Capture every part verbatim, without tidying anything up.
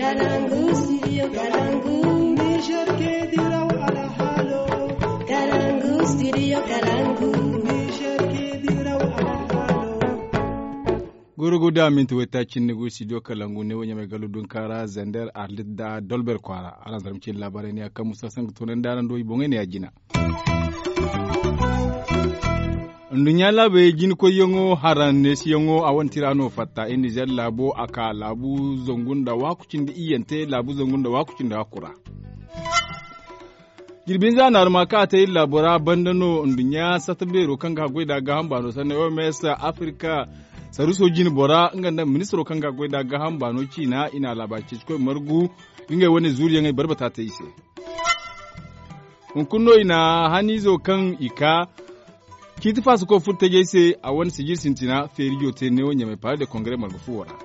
Kalangu, studio Kalangu. Niger ke diraw alhalo. Kalangu, studio Kalangu. Niger ke diraw alhalo. Gurugu da minti wayta cindi gu studio Kalangu ne wo ɲamay galu dunkaara zander arlit da dolber kwaara. Araŋ zarma cindi laabaarey ne ya kaŋ musa sanga toonandi araŋ do i boŋey ne ya jina. Nduɲɲa laabey jinkoyyaŋo haraŋ neesiyaŋo a wane tira no fatta i nizer laabo a ka laabu zangu nda waaku cindi iyyante laabu zangu nda waaku cindi hakku ra. Jirbi hinza naaruma kaŋ a te iri laabo ra banda no nduɲɲa satta beero kaŋ ga haggoy nd'a gaaham baano sanni oms afirika saruuso jine bora nga nda ministiro kaŋ ga haggoy nd'a gaaham baano ciina i na a laabaari ceecikoy margu. Ngey wane zuuriyaŋey barbata te i se. Hunkuna no i na haniizo kaŋ i ka ciiti faasako furo tajey se a wane sijir sintina feerijo te neewo ɲamay pale de kongare marga fuwo ra.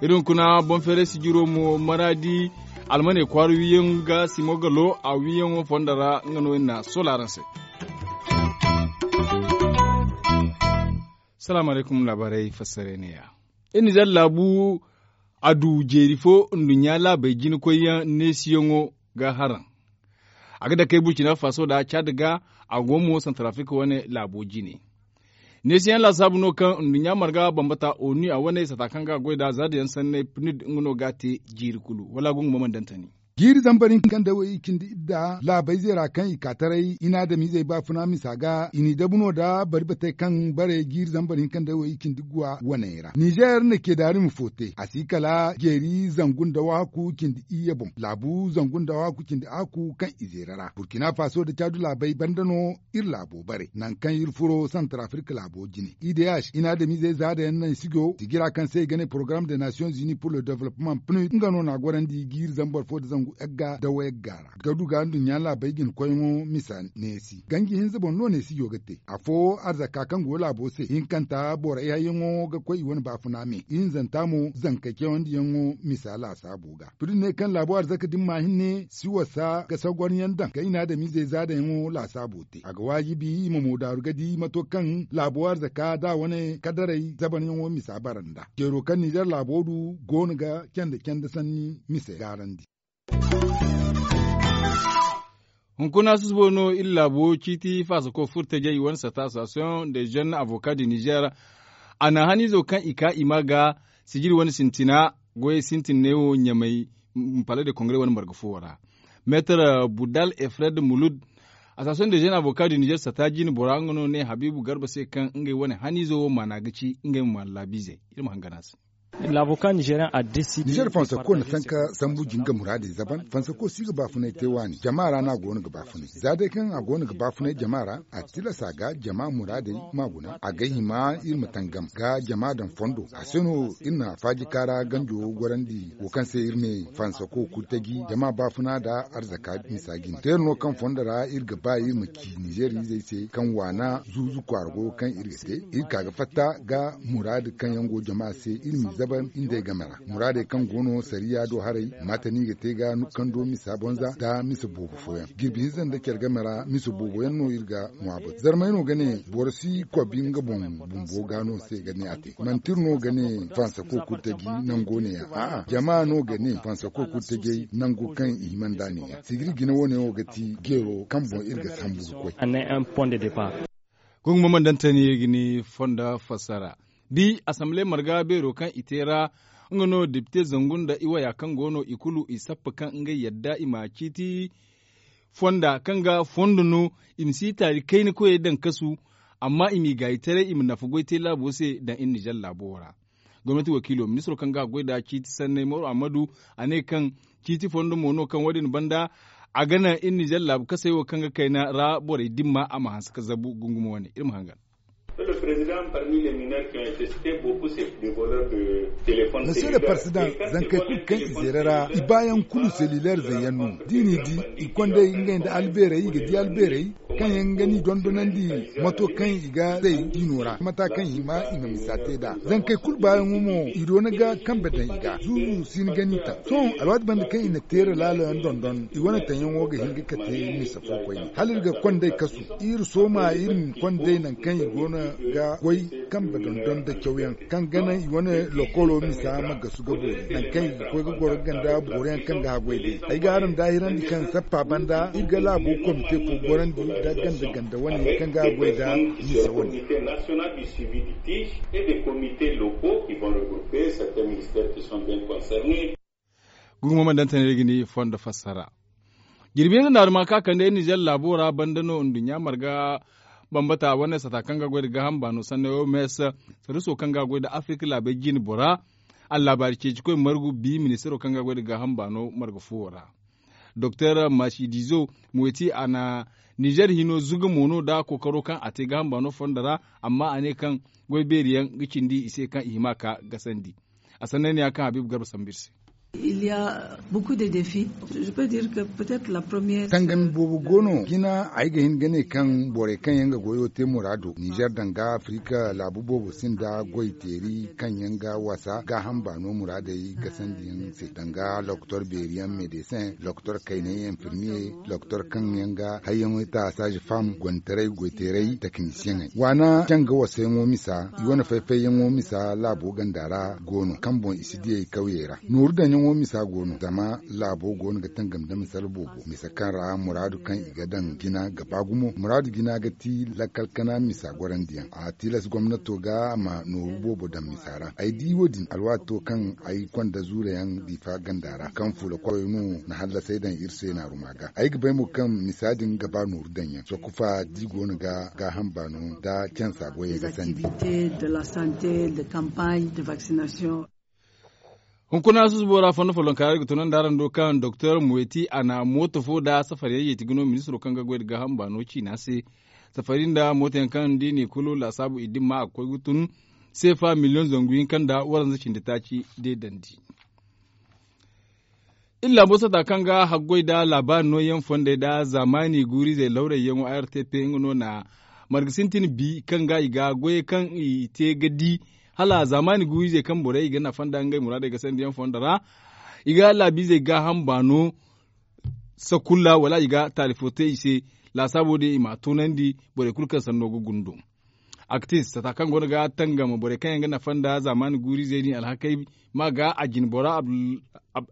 Iri hunkuna bonfeeray sijiro mo maraadi almaney kwaara wiiyaŋ ga simo ga lo a wiiyaŋo fondo ra nga no iri na soola araŋ se. Salaamu alaykum laabaarey fassarey neeya. Iri nizer laabu a du jeeri fo nduɲɲa laabey jinakoyyaŋ neesiyaŋo ga haraŋ. A ga dakey burkina faso nda caad ga a go mo santarafirika wane laabo jine. Neesiyaŋ laasaabu no kaŋ nduɲɲa marga bambata onu a wane sata kaŋ ga goy nd'a zaadayaŋ sanney pnud nga no ga a te jiiri kulu wala gungu ma mana daŋ tani. Jiiri zambar hinka kaŋ day wo i cindi idda laabayzey ra kaŋ i ka taray i na adamizey baafuna misa ga i n'i dabu no nda bari batey kaŋ bare jiiri zambar hinka kaŋ day wo i cindi guwa waney ra nizer na ceedaari ma fo te a si kala jeeri zangu nda waaku cindi iyye boŋ laabu zangu nda waaku cindi aaku kaŋ i zeera ra burkina faso nda caadu laabey banda no iri laabo bare nangu kaŋ iri furo santarafirika laabo jine idh i na adamizey zaadayaŋ naŋ sijo sijira kaŋ se i ga ne porogaram de nations unis pour le developpement pnud nga no na a gorandi jiiri zambar fo nda zangu yagga da wayagga ra ga du ga nduɲɲa laabey jinakoyyaŋo misa neesi ganji hinza boŋ no neesijo ga te afo arzaka kaŋ go laabo se hinkanta borey hayyaŋo ga koy i wane baafuna me ihinzanta mo zankey cawandiyaŋo misa laasaabo ga pnud ne kaŋ laabo arzaka din ma hinne si wasa ga sagwaryaŋ daŋ kaŋ i na adamizey zaadayaŋo laasaabo te a ga waajibi i ma moodaaru ga di mato kaŋ laabo arzaka da wane kadaray zabaryaŋo misa bara nda ceero kaŋ nizer laabo du go no ga canda canda sanni mise gaarandi. Hunkuna susubo no iri laabo ciiti faasako furtajey wane sata association de jeune avocat du nizer a na haniizo kaŋ i ka i ma ga sijiri wane sintina goyey sintin neewo ɲamay pale de kongare wane marga fuwo ra. Meetar budal efred mulud association de jeune avocat du nizer sata jine bora nga no ne habiibu garba se kaŋ ngey wane haniizo wo maana ga ci ngey ma maana laabiizey iri ma hangan a se. Nizer fansako na tanka sambu jinga muraadey zaban fansako si ga baafunay te waani jama ra no a go no ga baafunay za day kaŋ a go no ga baafunay jama ra a tilas a ga jama muraadey ma guna a ga hima iri ma tangam ga jama daŋ fondo a se no iri na faaji kaara ganjo gorandi wo kaŋ se iri ne fansako kurtaji jama baafuna nda arzaka misa jine teera no kaŋ fondo ra iri ga ba iri ma ci nizer izey se kaŋ waana zuuzu kwaara goyo kaŋ iri ga te iri ka ga fatta ga muraadu kaŋ yaŋ go jama se iri m'i zabar iri nd'ey game ra muraadey kaŋ go no sariya do haray maate no i ga te ga nukando misa bonza nda misa boobo fooyaŋ jirbi hinza nda care game ra misa boobo yaŋ no iri ga ŋwa batu zarmey no ga ne boro si kobi nga boŋ bumbo ga no se ga ne a te manti iri no ga ne fansako kurtaji nango ne ya a'a jama no ga ne fansako kurtajey nango kaŋ i hima nd'a ne ya sigiri jine wo- ne wo ga ti jeero kaŋ boŋ iri ga sambu ga koy. Gungu mo mana daŋ tani iri ga ni fonda fassara bi asamble marga beero kaŋ i te ra nga no depite zangu nda i waya kaŋ go no i kulu i sappa kaŋ ngey yadda i ma ciiti fonda kaŋ ga fondo no i ma si taari kayna koyey daŋ kasu amma i m'i gaayitaray i ma nafa goy te laabo se daŋ iri nizer laabo wo ra gomnati wakiilo ministiro kaŋ ga a goy nd'a ciiti sanney moro ammadu a ne kaŋ ciiti fondo mo no kaŋ wo- din banda a ga naŋ iri nizer laabu kasey wo kaŋ ga kayna ra borey dimma a ma hanse ga zabu gungumo wane iri ma hangan. Monsieur le président zankey kulu kaŋ i zeera ra i baayaŋ kulu selulaire zayyaŋ no da i n'i di i kond'ey ngey nda albeerey i ga di albeerey. Kaŋ yaŋ ga ni dondonandi mato kaŋ i ga zay diino ra mata kaŋ i ma i ma misa te nd'a zankey kulu baayaŋo mo i doona ga kambe daŋ i ga zuuzu si ni ga ni taŋ. Sohõ alwaati banda kaŋ i na teera laalo yaŋ dondon i wane taŋyaŋo ga hin ga kate misa fo koyne hala iri ga kondey kasu iri sooma iri ma kondey nangu kaŋ i goono ga goy kambe dondon nda cawyaŋ kaŋ ga naŋ i wane lokolo misa ma gasu ga boori nangu kaŋ i ga koy ga goro ganda boro yaŋ kaŋ ga haggoy day ay ga araŋ daahirandi kaŋ sappa banda iri ga laabo komite fo gorandi nda ganda ganda wane kaŋ ga haggoy nda misa wane. Gumo ma daŋ tanay ga ni fondo fassara. Jirbi hinza naaruma ka kande nizer laabo ra banda no nduɲɲa marga bambata wane sata kaŋ ga goy nda gaaham baano sanney oms sariso kaŋ ga goy nda afirka laabey jine bora. Allaabaari ceecikoy margu bi ministaro kaŋ ga goy nda gaaham baano marga fuwo ra. Doktor masidizo moyti a na nizer hino zuga mo no nda kookaro kaŋ a te gaaham baano fondo ra. Amma a ne kaŋ goy beeri yaŋ ga cindi i se kaŋ i hima ka gasandi. A sanney ne ya kaŋ habiibu garba sambu iri se. Tangami boobo go no jina ay ga hin ga ne kaŋ borey kaŋ yaŋ ga goyo te muraado nizer danga afirika laabu boobo sinda goy teeri kaŋ yaŋ ga wasa gaaham baano muraadey gasandiyaŋ se danga doktor beeriyaŋ medesin doktor kaynay infirmiye doktor kaŋ yaŋ ga hayyaŋo ta saaze fam gontaray goyteeray teknisiyeŋey waana canga wasayaŋo misa i wane fay-fayyaŋo misa laabo ganda ra go no kaŋ boŋ i si diyey kawyey ra nooru daŋyaŋo misa go no zama laabo go no ga tangam nda misala boobo misa kaŋ ra muraadu kaŋ i ga daŋ jina ga ba gumo muraadu jina ga ti lakkal kana misa gorandiyaŋ a tilas gomnato ga a ma nooru boobo daŋ misa ra ay di wo- din alwaato kaŋ ay konda zuurayaŋ diifa ganda ra kaŋ fuula koyey no na hallasey daŋ iri se naaruma ga ay ga bay mo kaŋ misa din ga ba nooru daŋyaŋ sokkufa da i go no ga gaaham baano nda cansa goyey ga sandi. Hunkuna susubo ra fondo follonka ra iri ga tunandi araŋ do kaŋ doktor moyti a na mooto fo nda safari yaŋ yeeti ga no ministiro kaŋ ga goy nda gaaham baano ciina se. Safari nda mooto yaŋ kaŋ da i ne kulu laasaabu i dimma a ga koy ga tun seefa miliyoŋ zangu hinka nda waranza cindi taaci deedandi. Iri laabo sata kaŋ ga haggoy nda laabaari nooyaŋ fondey nda zaamaani guurizey lawrayyaŋo a r t p nga no na marga sintin bi kaŋ ga i ga goyey kaŋ i te ga di hala zaamaani guurizey kaŋ borey i ga nafa nda ngey muraadey ga sandiyaŋ fondo ra. I ga laabiizey gaaham baano sakulla wala i ga taali fo te i se. Laasaabo din i m'a toonandi borey kulu kaŋ sanno ga gundo. Aktis sata kaŋ goono ga tangam borey kaŋ yaŋ ga nafa nda zaamaani guurizey din alhakey ma ga a jine bora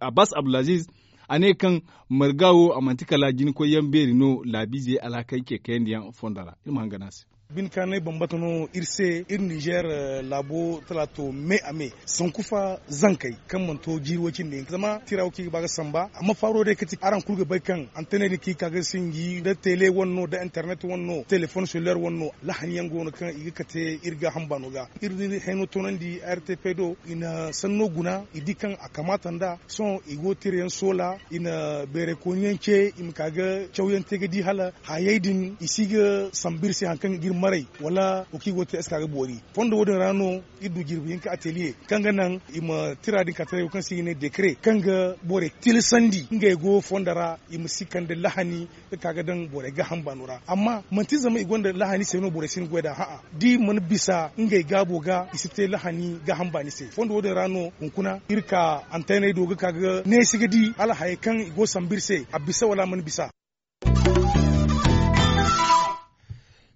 abbas abdulaziz a ne kaŋ marga wo a manti kala jinkoyyaŋ beeri no laabiizey alhakey ce kayandiyaŋ fondo ra iri ma hangan a se. Bine kaŋ a ne bambata no iri se iri nizer laabo talaato me a me sanku fa zankey kaŋ mana to jiiri way cindi hinka zama tira wo kaŋ i ga ba ga samba amma faaro day kaŋ ti araŋ kulu ga bay kaŋ antaney din kaŋ i ka ga sinji nda tele wane no nda internet wane no telefon selulaire wane no lahani yaŋ go no kaŋ i ga kate iri gaaham baano ga. Iri hayno toonandi r t p do i na sanno guna i di kaŋ a kamaata nd'a sohõ i go tira yaŋ soola i na beerey kooni yaŋ ce i ma ka ga cawyaŋ te ga di hala hayey din i si ga sambu iri se hari kaŋ ga iri maray wala wo kaŋ i go ga te eska ga boori. Fondo wo- din ra no iri du jirbi hinka ateliye kaŋ ga naŋ i ma tira din ka taray wo kaŋ se i ga ne dekare kaŋ ga borey tilasandi ngey go fondo ra i ma si kande lahani ga ka ga daŋ borey gaaham baano ra amma manti zama i gonda lahani se no borey si hin ga goy nd'a ha'a da i mana bisa ngey gaabo ga i si te lahani gaaham baani se fondo wo- din ra no hunkuna iri ka antayney do ga ka ga neesi ga di hala hayey kaŋ i go ga sambu iri se a bisa wala a mana bisa.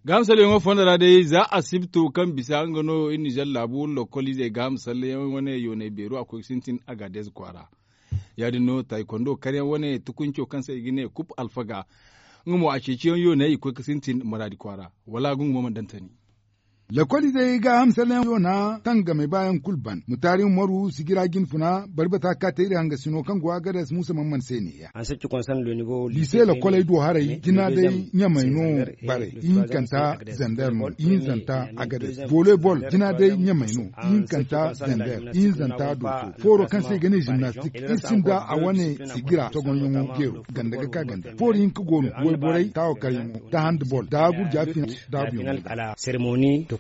Gaaham salleyaŋo fondo ra day za asibto kaŋ bisa nga no iri nizer laabu lokoliizey gaaham salleyaŋ wane yoonay beero a koy ga sintin agaadez kwaara. Ya- din no taaykondo karyaŋ wane tukunco kaŋ se i ga ne kup alfaga nga mo a ceeciyaŋ yoonay i koy ga sintin maraadi kwaara wala nga mo mana daŋ tani. Lakoliizey gaaham salleyaŋ yoona tangamey baayaŋ kulu ban mutaari umaru sigira jinfuna bari bata ga ka te iri hangasino kaŋ go agades muusa man man se neeya. Liise lakoley do haray jina day ɲamey no bare ihinkanta zander no ihinzanta agades volley ball jina day ɲamey no ihinkanta zander ihinzanta dooso fooro kaŋ se i ga ne jimnastik iri sinda a wane sigira togonyaŋo jeero ganda ga ka ganda fooro hinka go no wayborey taawakaryaŋo da handball da gurja fina daabuyaŋo.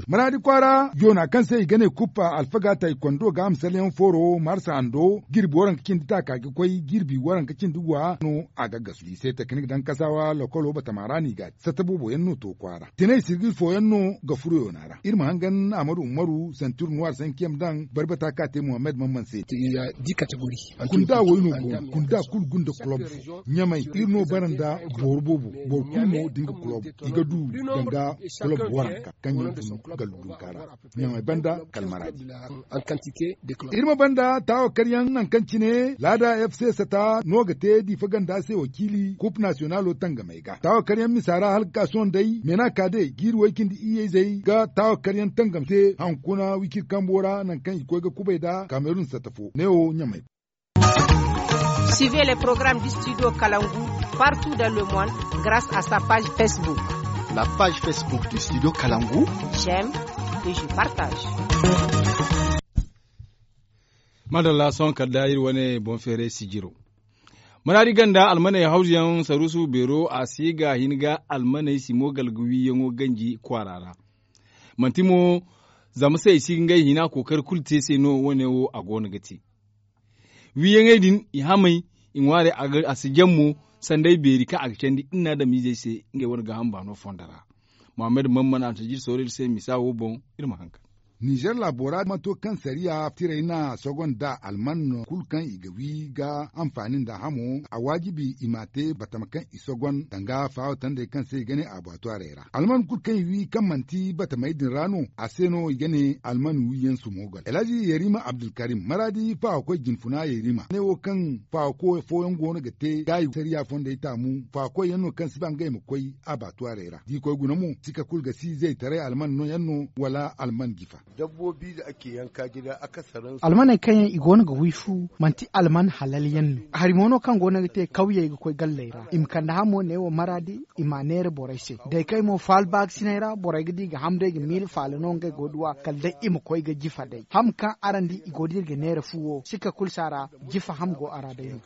Maraadi kwaara joona kaŋ se i ga ne kuppa alfaga taykondo ga a ma salyaŋ fooro marsa hando jirbi waranka cindi taaka ga koy jirbi waranka cindi wa no. A ga gasu i se teknik daŋ kasaawa lokolo batama ra no i ga a te satta boobo yaŋ no to kwaara tinay sirgir fooyaŋ no ga furo yoona ra iri ma hangan ahmadu umaru santir nuwaar sanki yaŋ daŋ barbata ka te muhammad mamman se. Kunda wayno go no kunda kulu gunda kulob fo ɲamay iri no bara nda boro boobo boro kulu mo da nga kulob i ga du danga kulob waranka kaŋ yaŋ fun gallu dunka ra. Ɲamay banda kala maraadi. Iri ma banda taawa karyaŋ nangu kaŋ cine laada f c sata no ga te diifa ganda se wakiili kup nasiyonalo tangamey ga taawa karyaŋ misa ra hala ga ka sohõ day meena ka day jiiri way cindi iyyey zey ga taawa karyaŋ tangam te hankuna wicir kambo ra nangu kaŋ i koy ga kubay nd'a kamerun sata fo neewo ɲamay. Suivez les programmes du studio Kalangu partout dans le monde grâce à sa page Facebook. La page Facebook du studio Kalangu. J'aime et je partage. Madalla sohõ kala da iri wane boŋ feeray sijiro. Maraadi ganda almaney hawzuyaŋ saruusu beero a si ga hin ga almaney simo galga wiiyaŋo ganji kwaara ra. Manti mo zama se i si ga ngey hina kookari kulu te se no wane wo a go no ga te. Wiiyaŋey din i hamay i ŋwaarey a si jaŋ mo sanday beeri kaŋ a ga candi iri na adamizey se ngey wane gaaham baano fondo ra. Muhammad mammana a na tajir sooro iri se misa wo boŋ. Iri ma haŋ ka nizer laabo ra ma to kaŋ sariya tiray na sogonda alman no kulu kaŋ i ga wi ga anfaani nda hamo a waajibi i m'a te batama kaŋ i sogon danga faawo tandey kaŋ se i ga ne abaatuwarey ra alman kulu kaŋ i wi kaŋ manti batamey din ra no a se no i ga ne alman wiyaŋ sumogal elhaji yarima abdulkarim maraadi faawakoy jinfuna yarima ne wo kaŋ faawako fooyaŋ go no ga te gaayi sariya fondey taamu faawakoy yaŋ no kaŋ si ba ngey ma koy abaatuwarey ra da i koy guna mo sika kulu ga si zaytaray alman no yaŋ no wala alman jifa. Almaney kaŋ yaŋ i go no ga wi fu manti alman halal yaŋ no hari mo no kaŋ go no ga te kawyey ga koy galley ra i ma kande hamo neewo maraadi i m'a neera borey se day kaŋ ay mo faala baakasinay ra borey ga di ga ham day ga miila faala no ngey go duw'a kala day i ma koy ga jifa day ham kaŋ araŋ di i go da iri ga neera fu wo sika kulu si a ra. Jifa ham go a ra day no.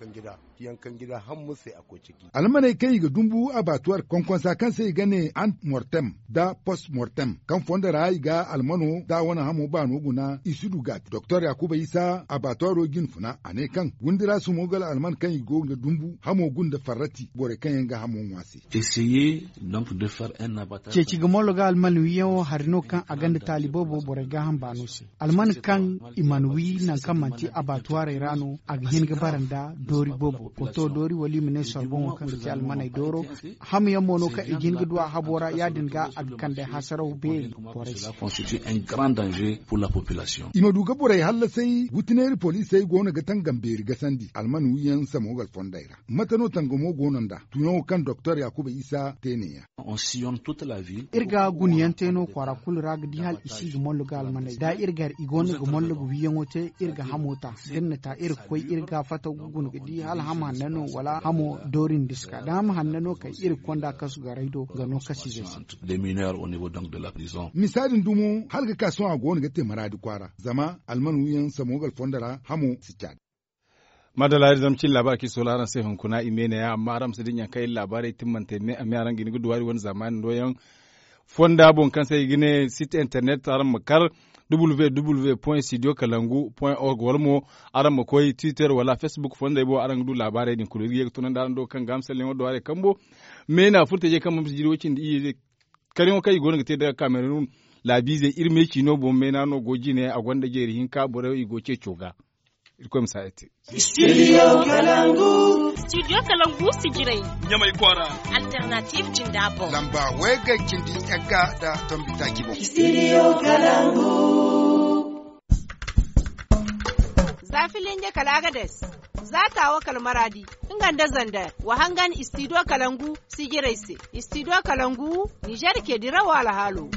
Almaney kaŋ i ga dumbu abaatuwar konkonsa kaŋ se i ga ne ant mortem nda post mortem kaŋ fondo ra i ga almano nda a wane hamo baano guna i si du ga a te doktor yaakuba isa abaatuwaro jinfuna a ne kaŋ windi ra sumo gala alman kaŋ i go ga dumbu hamo gunda farrati borey kaŋ yaŋ ga hamo ŋwa se. Ceeci ga mollo ga alman wiiyaŋo hari no kaŋ a gonda taali boobo borey gaaham baano se alman kaŋ i mana wi nangu kaŋ manti abaatuwarey ra no a ga hin ga bara nda doori boobo koto doori wala i ma ne sorboŋo kaŋ ga ti almaney dooro. Hamyaŋ mo no kaŋ i ga hin ga du a habo ra ya- din ga a ga kande hasaraw beeri borey se. I ma du ga borey hallasay wutineeri poliisey go no ga tangam beeri gasandi alman wiiyaŋ samogal fondey ra mate no tangamo go no nd'a tuyaŋo kaŋ doktor yaakuba isa te ne- ya. Iri ga guna yaŋ te no kwaara kulu ra ga di hala i si ga mollo ga almaney da iri gar i go no ga mollo ga wiiyaŋo te iri ga hamo ta da iri na ta iri ga koy iri ga fattaw ga guna ga di hala hamo hanna no wala hamo doori nda si ka da hamo hanna no kay iri ga konda kasu garay do ga no kasiizey se. Misa din dumo hala ga ka sohõ a go no ga te maraadi kwaara zama alman wiiyaŋ samogal fondo ra hamo si caadi. Madalla iri zama cin laabaari kaŋ i soola araŋ se hunkuna i me ne- ya amma araŋ ma si dinya kaŋ iri laabaarey timmante me a me araŋ ga hin ga duw'ari wane zaamaani nooyaŋ fonda boŋ kaŋ se i ga ne sit internet araŋ ma kar www point studio kalangu point org wala mo araŋ ma koy twitter wala facebook fondey boŋ araŋ ga du laabaarey din kulu iri ga ye ga tunandi araŋ do kaŋ ga misalyaŋo duw'arey kambo. Me na furtajey kaŋ ma si jiri way- cindi iyye karyaŋo kaŋ i go no ga te daga kamerun laabiizey iri me ciino boŋ me na no go jine a gonda jeeri hinka borey i go ceeco ga. Irkoy ma si a iri te. Studio kalangu. Studio kalangu sijirey. Ɲamay kwaara. Alternative jinda boŋ lamba way ga cindi yagga nda tombi taaci boŋ. Studio kalangu. Za filinge kala agades za taawo kala maraadi nga nda zander wa hangan studio kalangu sijirey se. Studio kalangu nizer ke dirawo alhaalo.